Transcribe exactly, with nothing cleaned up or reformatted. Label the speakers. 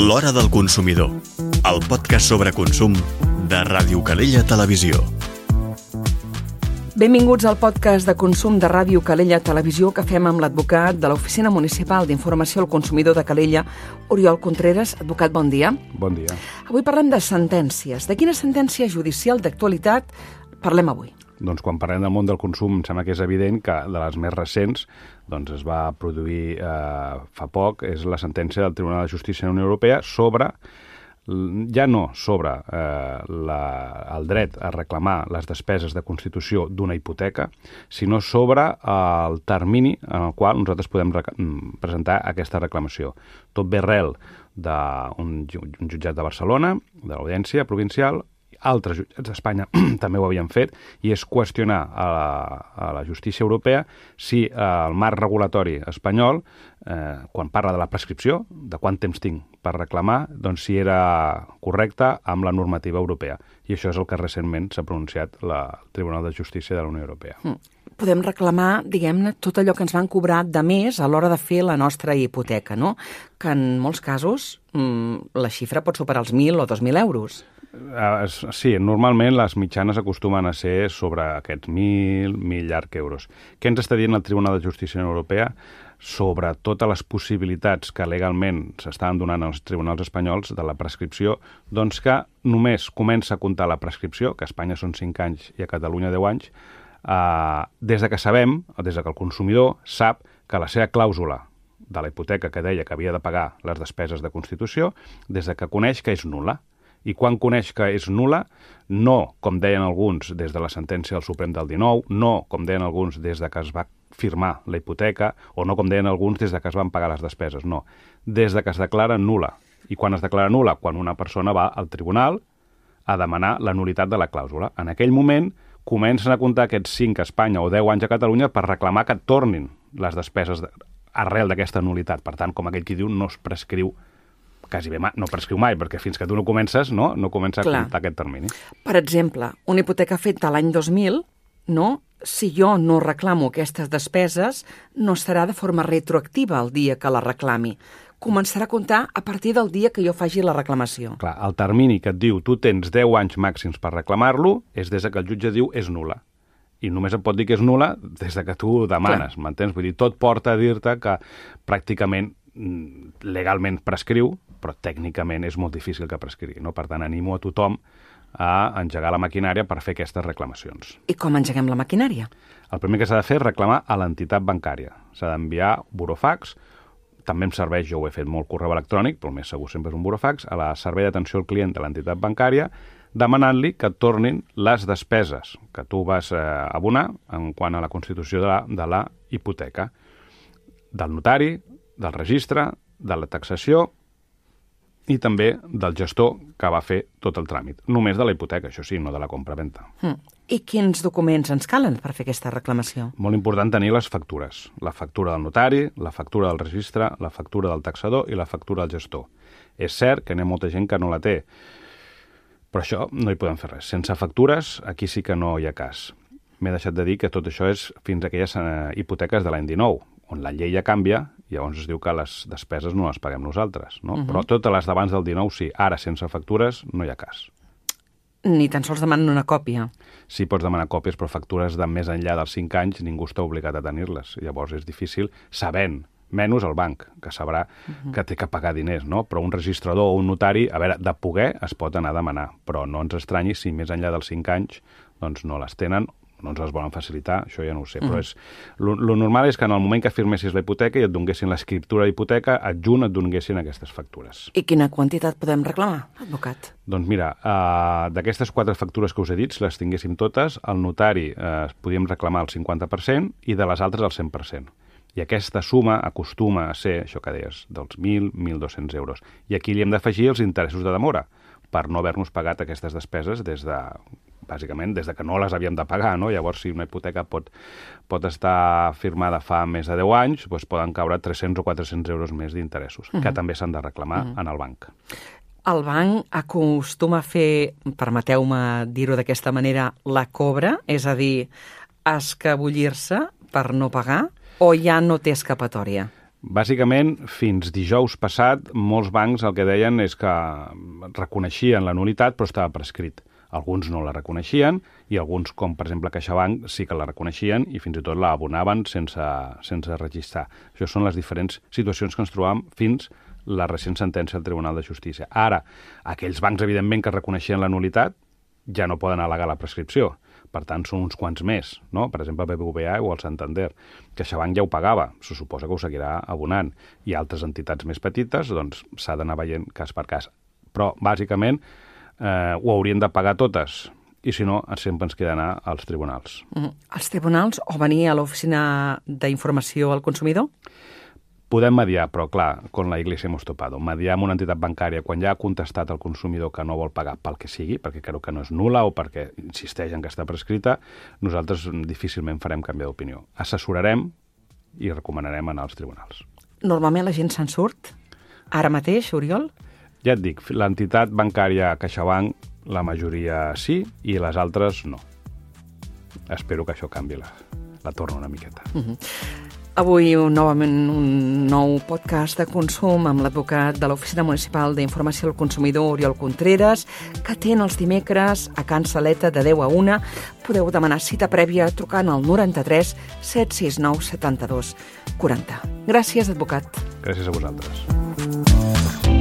Speaker 1: L'Hora del Consumidor, el podcast sobre consum de Ràdio Calella Televisió.
Speaker 2: Benvinguts al podcast de consum de Ràdio Calella Televisió que fem amb l'advocat de l'Oficina Municipal d'Informació al Consumidor de Calella, Oriol Contreras. Advocat, bon dia.
Speaker 3: Bon dia.
Speaker 2: Avui parlem de sentències. De quina sentència judicial d'actualitat parlem avui?
Speaker 3: Doncs quan parlem del món del consum em sembla que és evident que de les més recents doncs es va produir eh, fa poc, és la sentència del Tribunal de Justícia de la Unió Europea sobre, ja no sobre eh, la, el dret a reclamar les despeses de constitució d'una hipoteca, sinó sobre el termini en el qual nosaltres podem presentar aquesta reclamació. Tot ve arrel d'un un jutjat de Barcelona, de l'Audiència Provincial. Altres jutjats d'Espanya també ho havien fet, i és qüestionar a la, a la justícia europea si eh, el marc regulatori espanyol, eh, quan parla de la prescripció, de quant temps tinc per reclamar, doncs si era correcte amb la normativa europea. I això és el que recentment s'ha pronunciat la, el Tribunal de Justícia de la Unió Europea.
Speaker 2: Mm. Podem reclamar, diguem-ne, tot allò que ens van cobrar de més a l'hora de fer la nostra hipoteca, no? Que en molts casos mm, la xifra pot superar els mil o dos mil euros.
Speaker 3: Uh, sí, normalment les mitjanes acostumen a ser sobre aquests mil, mil llarg euros. Què ens està dient el Tribunal de Justícia de la Unió Europea sobre totes les possibilitats que legalment s'estan donant als tribunals espanyols de la prescripció? Doncs que només comença a comptar la prescripció, que a Espanya són cinc anys i a Catalunya deu anys, uh, des de que sabem, des de que el consumidor sap que la seva clàusula de la hipoteca que deia que havia de pagar les despeses de constitució, des de que coneix que és nul·la. I quan coneix que és nul·la, no, com deien alguns des de la sentència del Suprem del dinou, no, com deien alguns des de que es va firmar la hipoteca, o no, com deien alguns, des de que es van pagar les despeses, no. Des de que es declara nul·la. I quan es declara nul·la? Quan una persona va al tribunal a demanar la nul·litat de la clàusula. En aquell moment comencen a comptar aquests cinc a Espanya o deu anys a Catalunya per reclamar que tornin les despeses de, arrel d'aquesta nul·litat. Per tant, com aquell qui diu, no es prescriu quasi bé, no prescriu mai, perquè fins que tu no comences, no, no comença a
Speaker 2: Clar.
Speaker 3: comptar aquest termini.
Speaker 2: Per exemple, una hipoteca feta l'any dos mil, no? Si jo no reclamo aquestes despeses, no serà de forma retroactiva el dia que la reclami. Començarà a comptar a partir del dia que jo faci la reclamació.
Speaker 3: Clar, el termini que et diu tu tens deu anys màxims per reclamar-lo és des que el jutge diu és nul·la. I només et pot dir que és nul·la des que tu ho demanes, Clar. M'entens? Vull dir, tot porta a dir-te que pràcticament legalment prescriu, però tècnicament és molt difícil que prescrigui, no? Per tant, animo a tothom a engegar la maquinària per fer aquestes reclamacions.
Speaker 2: I com engeguem la maquinària?
Speaker 3: El primer que s'ha de fer és reclamar a l'entitat bancària. S'ha d'enviar burofax, també em serveix, jo ho he fet molt correu electrònic, però el més segur sempre és un burofax, a la servei d'atenció al client de l'entitat bancària, demanant-li que et tornin les despeses que tu vas eh, abonar en quant a la constitució de la, de la hipoteca, del notari, del registre, de la taxació i també del gestor que va fer tot el tràmit. Només de la hipoteca, això sí, no de la compra-venta.
Speaker 2: Mm. I quins documents ens calen per fer aquesta reclamació?
Speaker 3: Molt important tenir les factures. La factura del notari, la factura del registre, la factura del taxador i la factura del gestor. És cert que n'hi ha molta gent que no la té, però això no hi podem fer res. Sense factures, aquí sí que no hi ha cas. M'he deixat de dir que tot això és fins a aquelles eh, hipoteques de l'any dinou, on la llei ja canvia, i llavors es diu que les despeses no les paguem nosaltres, no? Uh-huh. Però totes les d'abans del dinou sí, ara sense factures no hi ha cas.
Speaker 2: Ni tan sols demanen una còpia.
Speaker 3: Sí, pots demanar còpies, però factures de més enllà dels cinc anys ningú està obligat a tenir-les. Llavors és difícil, sabent, menys el banc, que sabrà uh-huh. que té que pagar diners, no? Però un registrador o un notari, a veure, de poder es pot anar a demanar, però no ens estranyi si més enllà dels cinc anys doncs no les tenen, no ens les volen facilitar, això ja no ho sé, mm. però és, lo, lo normal és que en el moment que firmessis la hipoteca i et donguessin l'escriptura d'hipoteca, adjunt et donguessin aquestes factures.
Speaker 2: I quina quantitat podem reclamar, advocat?
Speaker 3: Doncs mira, uh, d'aquestes quatre factures que us he dit, si les tinguéssim totes, el notari uh, podíem reclamar el cinquanta per cent i de les altres el cent per cent. I aquesta suma acostuma a ser, això que deies, dels mil, mil dos-cents euros. I aquí li hem d'afegir els interessos de demora, per no haver-nos pagat aquestes despeses des de... bàsicament, des de que no les havíem de pagar, no? Llavors, si una hipoteca pot, pot estar firmada fa més de deu anys, doncs poden caure tres-cents o quatre-cents euros més d'interessos, uh-huh. que també s'han de reclamar uh-huh. en el banc.
Speaker 2: El banc acostuma a fer, permeteu-me dir-ho d'aquesta manera, la cobra, és a dir, escabullir-se per no pagar, o ja no té escapatòria?
Speaker 3: Bàsicament, fins dijous passat, molts bancs el que deien és que reconeixien la nulitat, però estava prescrit. Alguns no la reconeixien i alguns, com per exemple CaixaBank, sí que la reconeixien i fins i tot la abonaven sense, sense registrar. Això són les diferents situacions que ens trobàvem fins la recent sentència del Tribunal de Justícia. Ara, aquells bancs, evidentment, que reconeixien la nulitat ja no poden al·legar la prescripció. Per tant, són uns quants més, no? Per exemple, el B B V A o el Santander. CaixaBank ja ho pagava, se suposa que ho seguirà abonant. I altres entitats més petites, doncs, s'ha d'anar veient cas per cas. Però, bàsicament, eh, ho haurien de pagar totes. I, si no, sempre ens queda anar als tribunals.
Speaker 2: Mm. Als tribunals o venir a l'Oficina d'Informació al Consumidor?
Speaker 3: Podem mediar, però clar, con la Iglesia hemos topado. Mediar amb una entitat bancària quan ja ha contestat el consumidor que no vol pagar pel que sigui, perquè creu que no és nul·la o perquè insisteix en que està prescrita, nosaltres difícilment farem canvi d'opinió. Assessorarem i recomanarem anar als tribunals.
Speaker 2: Normalment la gent se'n surt? Ara mateix, Oriol?
Speaker 3: Ja et dic, l'entitat bancària CaixaBank, la majoria sí i les altres no. Espero que això canvi la, la torna una miqueta.
Speaker 2: Mm-hmm. Avui, un, novament, un nou podcast de consum amb l'advocat de l'Oficina Municipal d'Informació al Consumidor, Oriol Contreras, que atén els dimecres a Can Saleta de deu a una. Podeu demanar cita prèvia trucant al noranta-tres set sis nou setanta-dos quaranta. Gràcies, advocat.
Speaker 3: Gràcies a vosaltres.